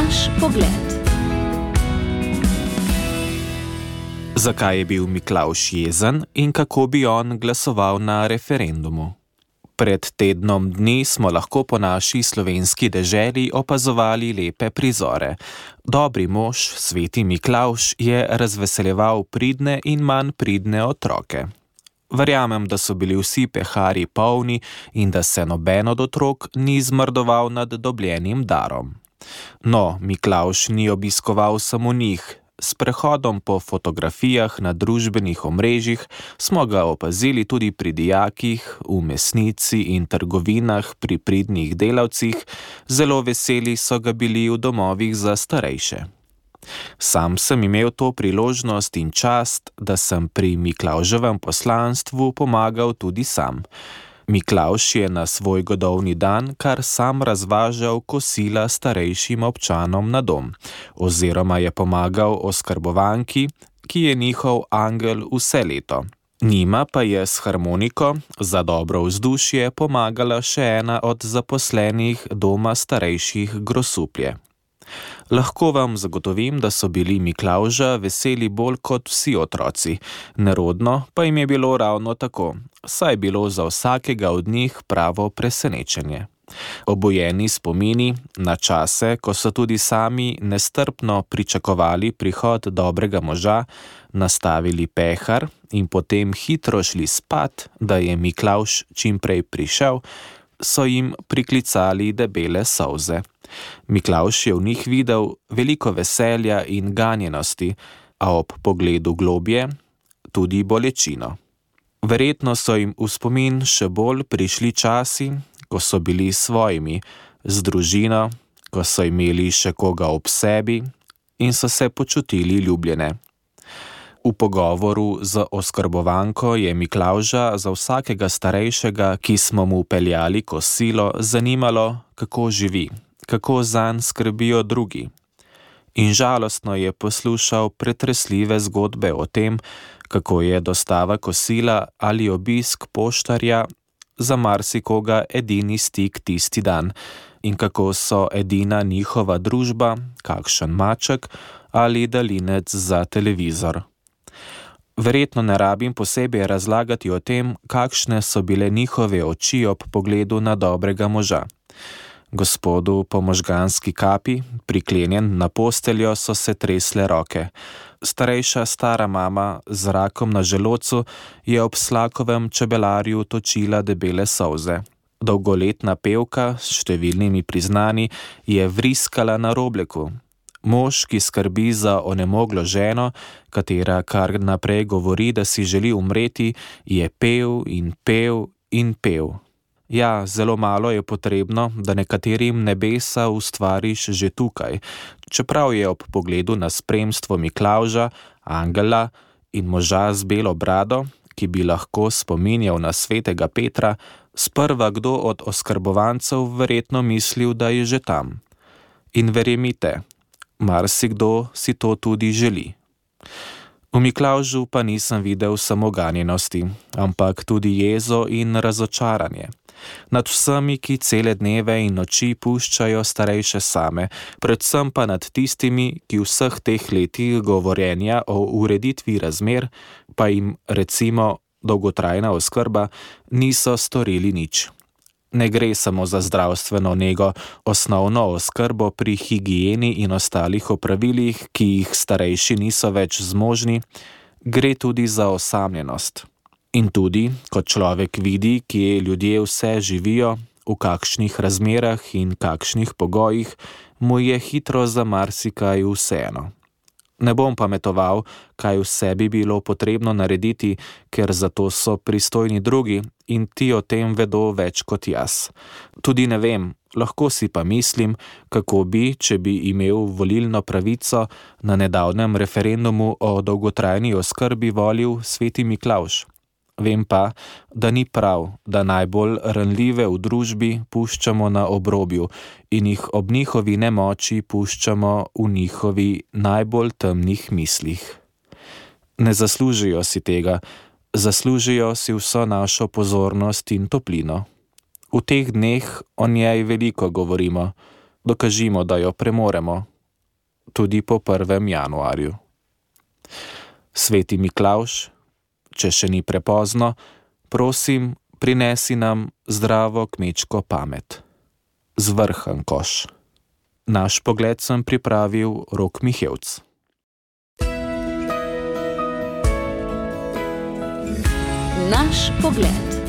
Naš pogled. Zakaj je bil Miklavž jezen in kako bi on glasoval na referendumu? Pred tednom dni smo lahko po naši slovenski deželi opazovali lepe prizore. Dobri mož, sveti Miklavž, je razveseljeval pridne in manj pridne otroke. Verjamem, da so bili vsi peharji polni in da se noben od otrok ni zmrdoval nad dobljenim darom. No, Miklavž ni obiskoval samo njih. S prehodom po fotografijah na družbenih omrežjih smo ga opazili tudi pri dijakih, v mesnici in trgovinah pri pridnih delavcih, zelo veseli so ga bili v domovih za starejše. Sam sem imel to priložnost in čast, da sem pri Miklavževem poslanstvu pomagal tudi sam. Miklavž je na svoj godovni dan kar sam razvažal kosila starejšim občanom na dom, oziroma je pomagal oskrbovanki, ki je njihov angel vse leto. Njima pa je s harmoniko za dobro vzdušje pomagala še ena od zaposlenih doma starejših Grosuplje. Lahko vam zagotovim, da so bili Miklavža veseli bolj kot vsi otroci, nerodno pa jim je bilo ravno tako, saj je bilo za vsakega od njih pravo presenečenje. Obojeni spomini na čase, ko so tudi sami nestrpno pričakovali prihod dobrega moža, nastavili pehar in potem hitro šli spat, da je Miklavž čimprej prišel, so jim priklicali debele solze. Miklavž je v njih videl veliko veselja in ganjenosti, a ob pogledu globje tudi bolečino. Verjetno so jim v spomin še bolj prišli časi, ko so bili svojimi, z družino, ko so imeli še koga ob sebi in so se počutili ljubljene. V pogovoru z oskrbovanko je Miklavža za vsakega starejšega, ki smo mu peljali kosilo, zanimalo, kako živi, kako zanj skrbijo drugi. In žalostno je poslušal pretresljive zgodbe o tem, kako je dostava kosila ali obisk poštarja za marsikoga edini stik tisti dan in kako so edina njihova družba, kakšen maček ali daljinec za televizor. Verjetno ne rabim posebej razlagati o tem, kakšne so bile njihove oči ob pogledu na dobrega moža. Gospodu po možganski kapi, priklenjen na posteljo, so se tresle roke. Starejša stara mama z rakom na želodcu je ob Slakovem čebelarju točila debele solze. Dolgoletna pevka s številnimi priznani je vriskala na robleku. Mož, ki skrbi za onemoglo ženo, katera kar naprej govori, da si želi umreti, je pel in pel in pel. Ja, zelo malo je potrebno, da nekaterim nebesa ustvariš že tukaj, čeprav je ob pogledu na spremstvo Miklavža, angela in moža z belo brado, ki bi lahko spominjal na svetega Petra, sprva kdo od oskrbovancev verjetno mislil, da je že tam. In verjemite, marsikdo si to tudi želi. V Miklavžu pa nisem videl samo ganjenosti, ampak tudi jezo in razočaranje. Nad vsemi, ki cele dneve in noči puščajo starejše same, predvsem pa nad tistimi, ki vseh teh letih govorjenja o ureditvi razmer, pa jim recimo dolgotrajna oskrba, niso storili nič. Ne gre samo za zdravstveno nego, osnovno oskrbo pri higieni in ostalih opravilih, ki jih starejši niso več zmožni, gre tudi za osamljenost. In tudi, ko človek vidi, kje ljudje vse živijo, v kakšnih razmerah in kakšnih pogojih, mu je hitro za marsikaj vseeno. Ne bom pametoval, kaj vse bi bilo potrebno narediti, ker za to so pristojni drugi in ti o tem vedo več kot jaz. Tudi ne vem, lahko si pa mislim, kako bi, če bi imel volilno pravico, na nedavnem referendumu o dolgotrajni oskrbi volil sveti Miklavž. Vem pa, da ni prav, da najbolj ranljive v družbi puščamo na obrobju in jih ob njihovi nemoči puščamo v njihovi najbolj temnih mislih. Ne zaslužijo si tega, zaslužijo si vso našo pozornost in toplino. V teh dneh o njej veliko govorimo, dokažimo, da jo premoremo, tudi po 1. januarju. Sveti Miklavž, če še ni prepozno, prosim, prinesi nam zdravo kmečko pamet. Zvrhan koš. Naš pogled sem pripravil Rok Mihevc. Naš pogled.